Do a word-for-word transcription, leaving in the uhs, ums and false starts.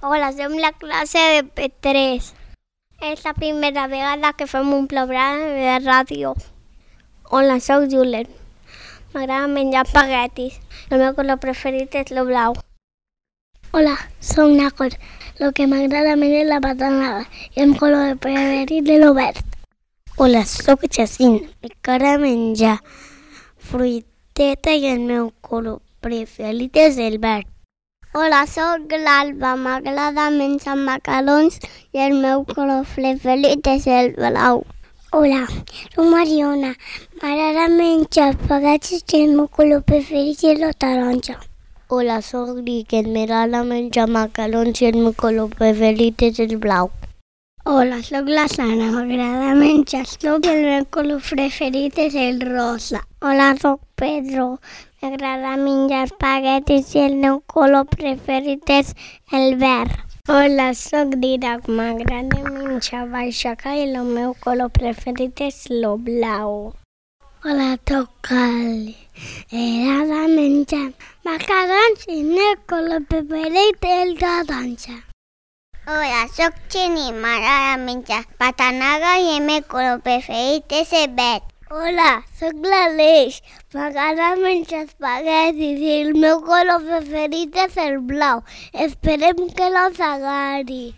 Hola, som la classe de P tres. És la primera vegada que fem un programa de ràdio. Hola, soc Julen. M'agrada menjar espaguetis. El meu color preferit és el blau. Hola, soc Nacor. Lo que m'agrada més és la patanada i el color preferit és el verd. Hola, soc Jacint. M'agrada menjar fruiteta i el meu color preferit és el verd. Hola, soc l'Alba. M'agrada menjar macarons i el meu color preferit és el blau. Hola, soc Mariona. M'agrada menjar espaguetis i el meu color preferit és el taronja. Hola, soc Riquet. M'agrada menjar macarons i el meu color preferit és el blau. Hola, soc la Sana. M'agrada menjar sop i el meu color preferit és el rosa. Hola, soc Pedro. M'agrada menjar espaguetis i el meu color preferit és el verd. Hola, soc Didac. M'agrada menjar baixaca i el meu color preferit és el blau. Hola, soc Cali. M'agrada menjar macarons i el meu color preferit és el taronja. Hola, soc Xeni. M'agrada menjar patanada i el meu color preferit és el verd. Hola, soc l'Aleix. M'agrada menjar espaguetis i el meu color preferit és el blau. Esperem que no s'agradi.